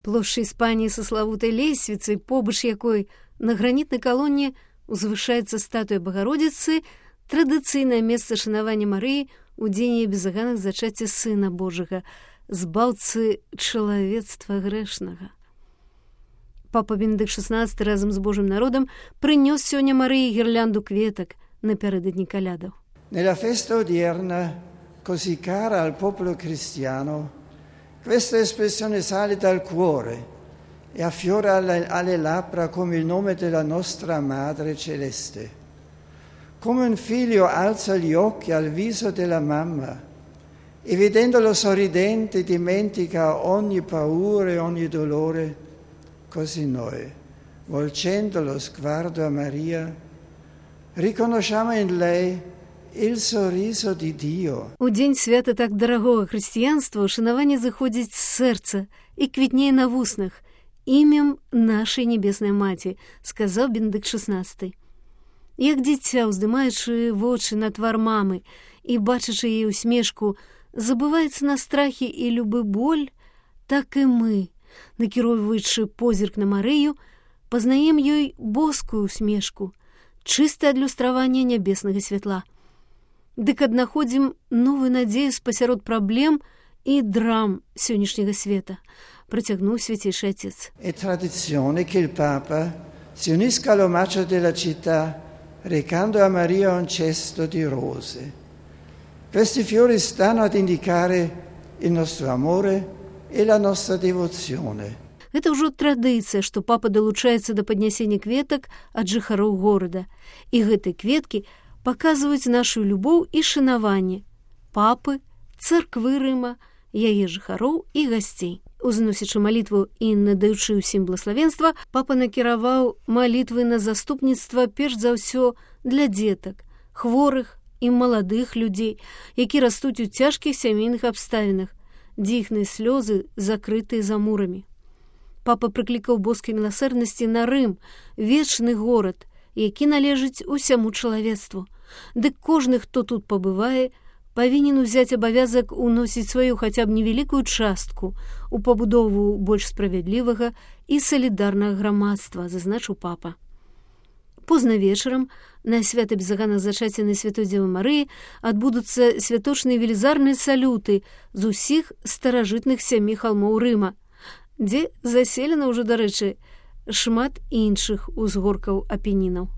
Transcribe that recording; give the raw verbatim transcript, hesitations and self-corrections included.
Плошча Іспаніі са славутай лесвіцай, побач якой на гранітнай калоне узвышаецца статуя Багародзіцы, традыцыйнае месца шанавання Марыі у дзень яе безаганных зачацця Сына Божага, збаўцы чалавецтва грэшнага. Папа Бенедыкт шаснаццаты разам з Божым народам прынёс сёння Марыі гірлянду кветак напярэдадні калядаў. Nella festa odierna, così cara al popolo cristiano, questa espressione sale dal cuore e affiora alle, alle labbra come il nome della nostra Madre Celeste. Come un figlio alza gli occhi al viso della mamma e vedendolo sorridente dimentica ogni paura e ogni dolore, così noi, volgendo lo sguardo a Maria, riconosciamo in lei il sorriso di Dio. У дзень свята так дарагога хрысціянства ушанаванне заходзіць з сэрца і квітнее на вуснах імем нашай небеснай маці, сказаў Бенедыкт шаснаццаты. Як дзіця, уздымаючы вочы на твар мамы і бачачы яе усмешку, забываецца на страхі і любы боль, так і мы, накіроўваючы позірк на Марыю, пазнаем ёй боскую усмешку, чыстае адлюстраванне нябеснага святла. Дык аднаходзім новую надзею спасярод праблем і драм сённяшняга света, працягнуў свяцейшы Отец. È tradizione che il Papa si unisca all'omaggio della città recando a Maria un cesto di rose. Questi fiori stanno ad indicare il nostro amore e la nostra devozione. Гэта ўжо традыцыя, што папа далучаецца да паднясення кветак ад жыхароў горада. І гэтыя кветкі паказваюць нашу любоў і шанаванне папы, царквы Рыма, яе жыхароў і гасцей. Узносячы малітву і надаючы ўсім блаславенства, папа накіраваў малітвы на заступніцтва перш за ўсё для дзетак, хворых і маладых людзей, які растуць у цяжкіх сямейных абставінах, дзе іхныя слёзы закрытыя за мурамі. Папа прыклікаў боскай міласэрнасці на Рым, вечны горад, які належыць усяму чалавецтву. Дык кожны, хто тут пабывае, павінен узяць абавязак уносіць сваю хаця б невялікую частку у пабудову больш справядлівага і салідарнага грамадства, зазначыў папа. Позна вечарам на свята безаганных зачацця Святой Дзевы Марыі адбудуцца святочныя велізарныя салюты з усіх старажытных сямі халмоў Рыма, дзе заселена ўжо, дарэчы, шмат іншых узгоркаў Апенінаў.